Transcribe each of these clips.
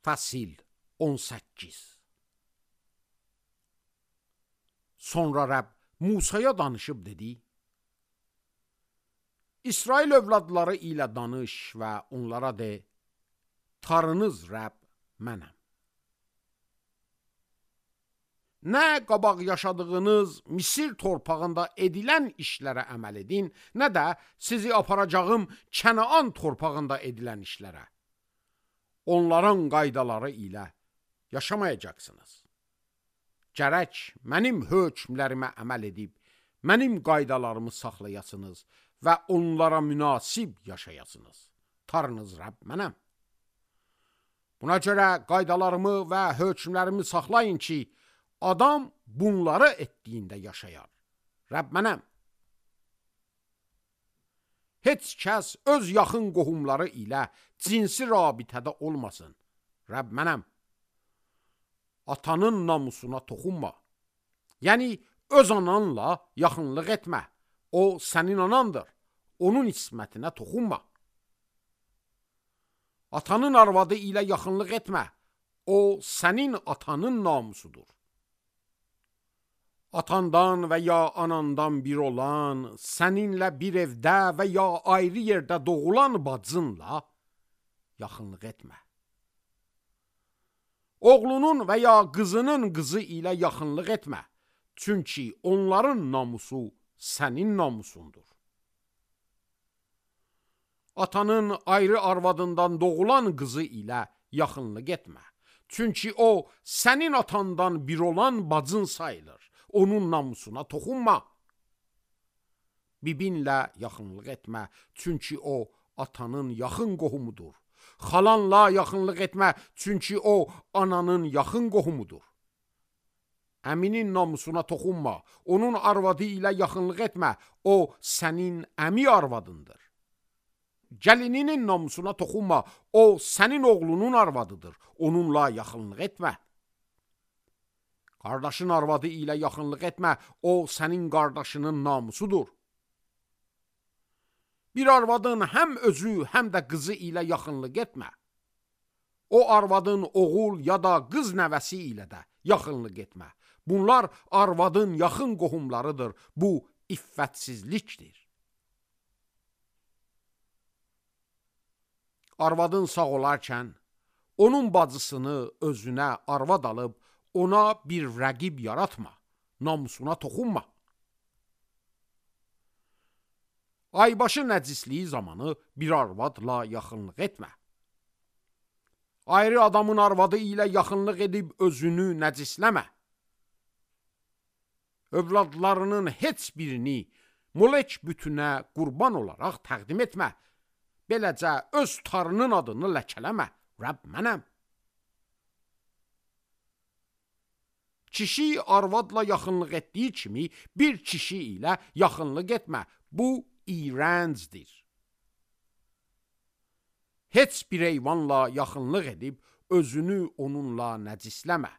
Fəsil 18. Sonra Rəbb Musaya danışıb dedi: İsrail övladları ilə danış və onlara de: Tanrınız Rəbb mənəm. Nə qabaq yaşadığınız Misir torpağında edilən işlərə əməl edin, nə də sizi aparacağım Kənaan torpağında edilən işlərə. Onların qaydaları ilə yaşamayacaqsınız. Gərək mənim hökmlərimə əməl edib, mənim qaydalarımı saxlayasınız və onlara münasib yaşayasınız. Tanrınız Rəbb mənəm. Buna görə qaydalarımı və hökmlərimi saxlayın ki, adam bunları etdiyində yaşayar. Rəbb mənəm. Heç kəs öz yaxın qohumları ilə cinsi rabitədə olmasın. Rəbb mənəm. Atanın namusuna toxunma. Yəni, öz ananla yaxınlıq etmə. O, sənin anandır. Onun ismətinə toxunma. Atanın arvadı ilə yaxınlıq etmə. O, sənin atanın namusudur. Atandan və ya anandan bir olan, səninlə bir evdə və ya ayrı yerdə doğulan bacınla yaxınlıq etmə. Oğlunun və ya qızının qızı ilə yaxınlıq etmə. Çünki onların namusu sənin namusundur. Atanın ayrı arvadından doğulan qızı ilə yaxınlıq etmə. Çünki o, sənin atandan bir olan bacın sayılır. Onun namusuna toxunma. Bibinlə yaxınlıq etmə. Çünki o, atanın yaxın qohumudur. Xalanla yaxınlıq etmə. Çünki o, ananın yaxın qohumudur. Əminin namusuna toxunma. Onun arvadı ilə yaxınlıq etmə. O, sənin əmi arvadındır. Gəlininin namusuna toxunma. O, sənin oğlunun arvadıdır. Onunla yaxınlıq etmə. Qardaşın arvadı ilə yaxınlıq etmə. O, sənin qardaşının namusudur. Bir arvadın həm özü, həm də qızı ilə yaxınlıq etmə. O arvadın oğul ya da qız nəvəsi ilə də yaxınlıq etmə. Bunlar arvadın yaxın qohumlarıdır. Bu, iffətsizlikdir. Arvadın sağ olarkən, onun bacısını özünə arvad alıb, ona bir rəqib yaratma, namusuna toxunma. Aybaşı nəcisliyi zamanı bir arvadla yaxınlıq etmə. Ayrı adamın arvadı ilə yaxınlıq edib özünü nəcisləmə. Övladlarının heç birini Molek bütünə qurban olaraq təqdim etmə. Beləcə öz Tanrının adını ləkələmə. Rəbb mənəm. Kişi arvadla yaxınlıq etdiyi kimi bir kişi ilə yaxınlıq etmə. Bu iyrəncdir. Heç bir heyvanla yaxınlıq edib özünü onunla nəcisləmə.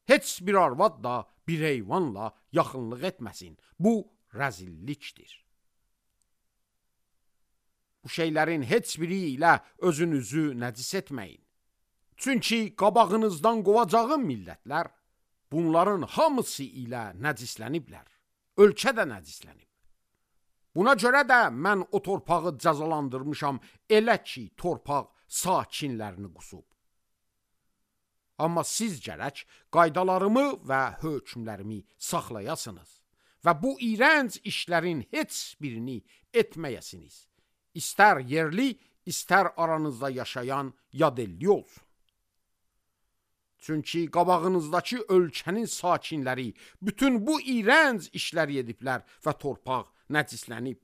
Heç bir arvad da bir heyvanla yaxınlıq etməsin. Bu rəzillikdir. Bu şeylərin heç biri ilə özünüzü nəcis etməyin. Çünki qabağınızdan qovacağım millətlər bunların hamısı ilə nəcisləniblər. Ölkə də nəcislənib. Buna görə də mən o torpağı cəzalandırmışam, elə ki, torpaq sakinlərini qusub. Amma siz gərək qaydalarımı və hökmlərimi saxlayasınız və bu iyrənc işlərin heç birini etməyəsiniz. İstər yerli, istər aranızda yaşayan yadelli olsun. Çünki qabağınızdakı ölkənin sakinləri bütün bu iyrənc işləri ediblər və torpaq nəcislənib.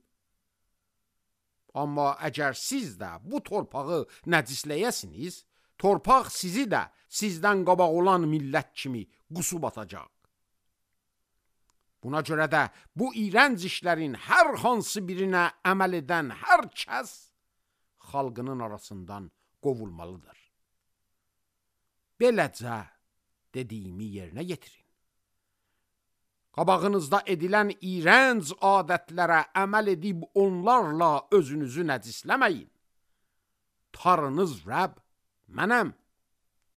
Amma əgər siz də bu torpağı nəcisləyəsiniz, torpaq sizi də sizdən qabaq olan millət kimi qusub atacaq. Buna görə də bu iyrənc işlərin hər hansı birinə əməl edən hər kəs xalqının arasından qovulmalıdır. Beləcə dediyimi yerinə yetirin. Qabağınızda edilən iyrənc adətlərə əməl edib onlarla özünüzü nəcisləməyin. Tanrınız Rəbb mənəm.